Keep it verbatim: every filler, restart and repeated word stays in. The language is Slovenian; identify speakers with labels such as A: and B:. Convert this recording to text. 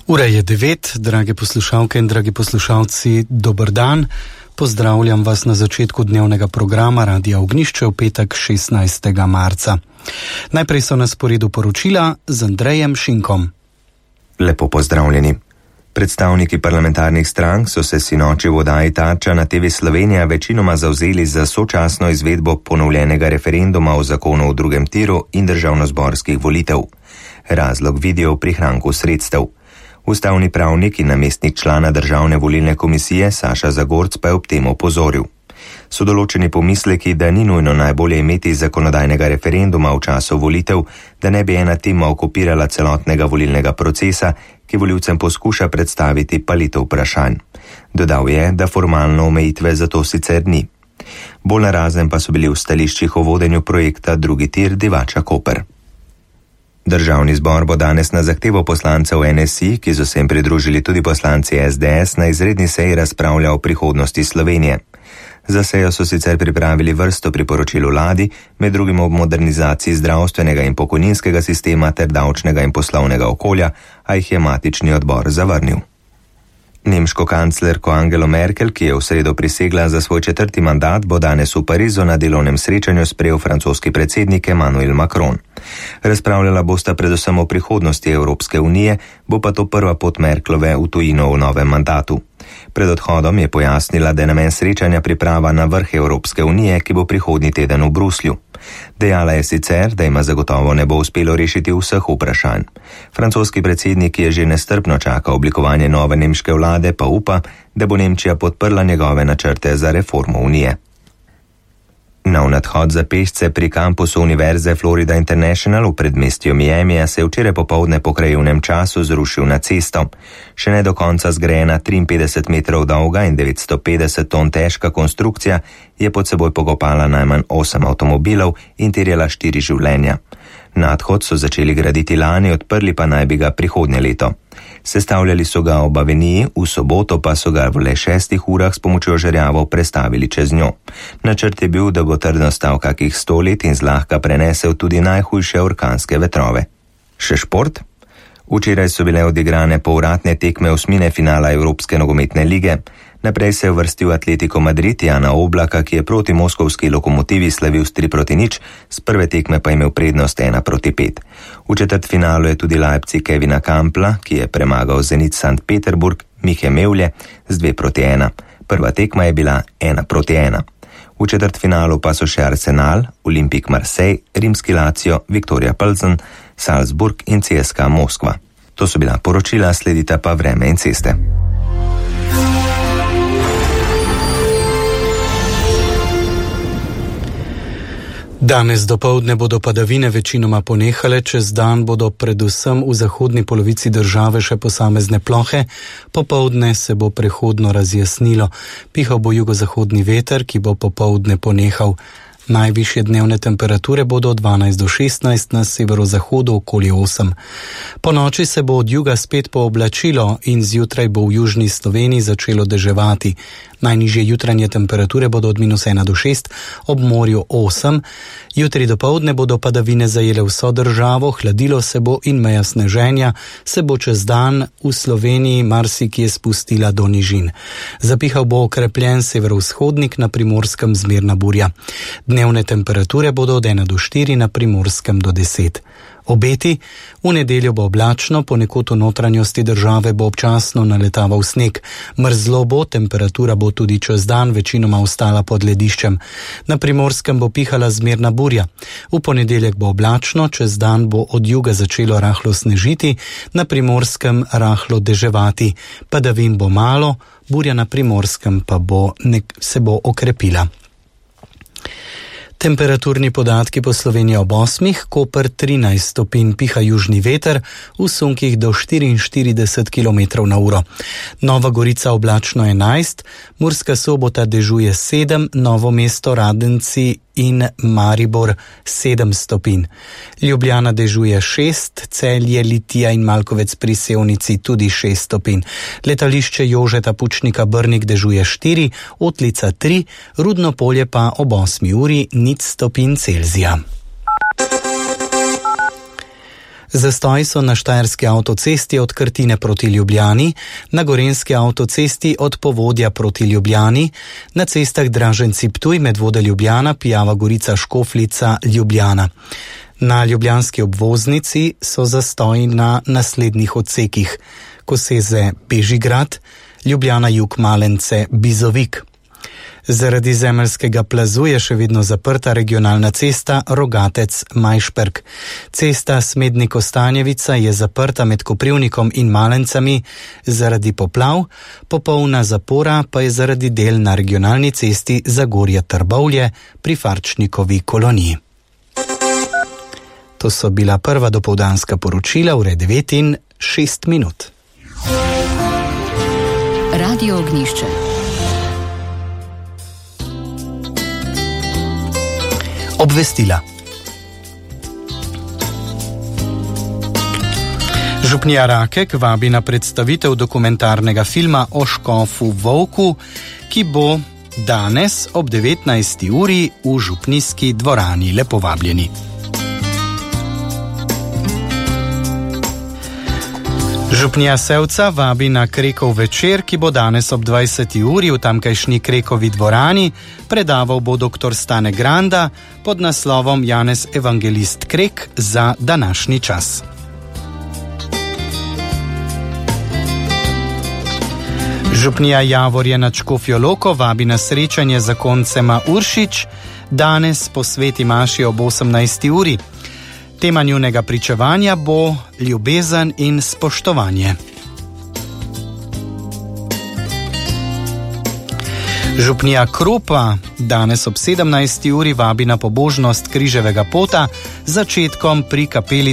A: Ura je devet, drage poslušalke in dragi poslušalci, dober dan. Pozdravljam vas na začetku dnevnega programa Radia Ognjišče v petek šestnajstega marca. Najprej so na sporedu poročila z Andrejem Šinkom.
B: Lepo pozdravljeni. Predstavniki parlamentarnih strank so se sinoči v oddaji Tarča na te ve Slovenija večinoma zavzeli za sočasno izvedbo ponovljenega referenduma o zakonu o drugem tiru in državnozborskih volitev. Razlog vidijo v prihranku sredstev. Ustavni pravnik in namestnik člana Državne volilne komisije Saša Zagorc pa je ob tem opozoril. So določeni pomisleki, da ni nujno najbolje imeti zakonodajnega referenduma v času volitev, da ne bi ena tema okupirala celotnega volilnega procesa, ki volivcem poskuša predstaviti palito vprašanj. Dodal je, da formalno omejitve za to sicer ni. Bolj narazen pa so bili v stališčih o vodenju projekta Drugi tir Divača Koper. Državni zbor bo danes na zahtevo poslancev N S I, ki so se jim pridružili tudi poslanci S D S, na izredni seji razpravljal o prihodnosti Slovenije. Za sejo so sicer pripravili vrsto priporočil vladi, med drugim o modernizaciji zdravstvenega in pokojninskega sistema ter davčnega in poslovnega okolja, a jih je matični odbor zavrnil. Nemško kanclerko Angelo Merkel, ki je v sredo prisegla za svoj četrti mandat, bo danes v Parizu na delovnem srečanju sprejel francoski predsednik Emmanuel Macron. Razpravljala bosta predvsem o prihodnosti Evropske unije, bo pa to prva pot Merklove v tujino v novem mandatu. Pred odhodom je pojasnila, da je namen srečanja priprava na vrh Evropske unije, ki bo prihodnji teden v Bruslju. Dejala je sicer, da ima zagotovo ne bo uspelo rešiti vseh vprašanj. Francoski predsednik je že nestrpno čakal oblikovanje nove nemške vlade, pa upa, da bo Nemčija podprla njegove načrte za reformo unije. Nov nadhod za pešce pri kampusu Univerze Florida International v predmestju Miamija se je včeraj popoldne po krajevnem času zrušil na cesto. Še ne do konca zgrajena triinpetdeset metrov dolga in devetsto petdeset ton težka konstrukcija je pod seboj pokopala najmanj osem avtomobilov in terjala štiri življenja. Nadhod so začeli graditi lani, odprli pa naj bi ga prihodnje leto. Sestavljali so ga ob aveniji, v soboto pa so ga v le šestih urah s pomočjo žerjavov prestavili čez njo. Načrt je bil, da bo trdno stal kakih sto let in zlahka prenesel tudi najhujše orkanske vetrove. Še šport? Včeraj so bile odigrane povratne tekme osmine finala Evropske nogometne lige. Naprej se je uvrstil Atletico Madrid Jana Oblaka, ki je proti moskovski Lokomotivi slavil s tri proti nič, z prve tekme pa imel prednost ena proti pet. V četrtfinalu je tudi Leipzig Kevina Kampla, ki je premagal Zenit Sankt Peterburg Mihe Mevlje z dve proti ena. Prva tekma je bila ena proti ena. V četrtfinalu pa so še Arsenal, Olimpik Marseille, Rimski Lazio, Viktoria Plzen, Salzburg in C S K A Moskva. To so bila poročila, sledita pa vreme in ceste.
A: Danes dopoldne bodo padavine večinoma ponehale, čez dan bodo predvsem v zahodni polovici države še posamezne plohe, popoldne se bo prehodno razjasnilo. Pihal bo jugozahodni veter, ki bo popoldne ponehal. Najvišje dnevne temperature bodo od dvanajst do šestnajst, na severozahodu okoli osem. Po noči se bo od juga spet pooblačilo in zjutraj bo v južni Sloveniji začelo deževati. Najnižje jutranje temperature bodo od minus ena do šest, ob morju osem. Jutri dopoldne bodo padavine zajele vso državo, hladilo se bo in meja sneženja se bo čez dan v Sloveniji marsikje spustila do nižin. Zapihal bo okrepljen severovzhodnik, na Primorskem zmerna burja. Dnevne temperature bodo od ena do štiri, na Primorskem do deset. Obeti: v nedeljo bo oblačno, ponekod v notranjosti države bo občasno naletaval sneg. Mrzlo bo, temperatura bo tudi čez dan večinoma ostala pod lediščem. Na Primorskem bo pihala zmerna burja. V ponedeljek bo oblačno, čez dan bo od juga začelo rahlo snežiti, na Primorskem rahlo deževati. Padavin bo malo, burja na Primorskem pa bo nek, se bo okrepila. Temperaturni podatki po Sloveniji ob osmih, Koper trinajst stopinj, piha južni veter, v sunkih do štiriinštirideset kilometrov na uro. Nova Gorica oblačno enajst, Murska Sobota dežuje sedem, Novo mesto, Radenci in Maribor sedem stopinj. Ljubljana dežuje šest, Celje, Litija in Malkovec pri Sevnici tudi šest stopinj. Letališče Jožeta Pučnika Brnik dežuje štiri, Otlica tri, Rudno Polje pa ob osmi uri nič stopinj Celzija. Zastoji so na štajerski avtocesti od Krtine proti Ljubljani, na gorenski avtocesti od Povodja proti Ljubljani, na cestah Draženci-Ptuj, Medvode Ljubljana, Pijava Gorica, Škofljica, Ljubljana. Na ljubljanski obvoznici so zastoji na naslednjih odsekih: Koseze Bežigrad, Ljubljana jug Malence Bizovik. Zaradi zemeljskega plazu je še vedno zaprta regionalna cesta Rogatec-Majšperk. Cesta Smednik-Kostanjevica je zaprta med Koprivnikom in Malencami zaradi poplav, popolna zapora pa je zaradi del na regionalni cesti Zagorje-Trbovlje pri Farčnikovi koloniji. To so bila prva dopoldanska poročila, ure devet in šest minut.
C: Radio Ognjišče.
A: Obvestila. Župnija Rakek vabi na predstavitev dokumentarnega filma o škofu Volku, ki bo danes ob devetnajsti uri v župnijski dvorani. Lepo vabljeni. Župnija Sevca vabi na Krekov večer, ki bo danes ob dvajseti uri v tamkajšnji Krekovi dvorani. Predaval bo doktor Stane Granda pod naslovom Janez Evangelist Krek za današnji čas. Župnija Javorje nad Škofjo Loko vabi na srečanje zakoncema Uršič danes po sveti maši ob osemnajsti uri. Tema njunega pričevanja bo ljubezen in spoštovanje. Župnija Kropa danes ob sedemnajsti uri vabi na pobožnost križevega pota z začetkom pri kapeli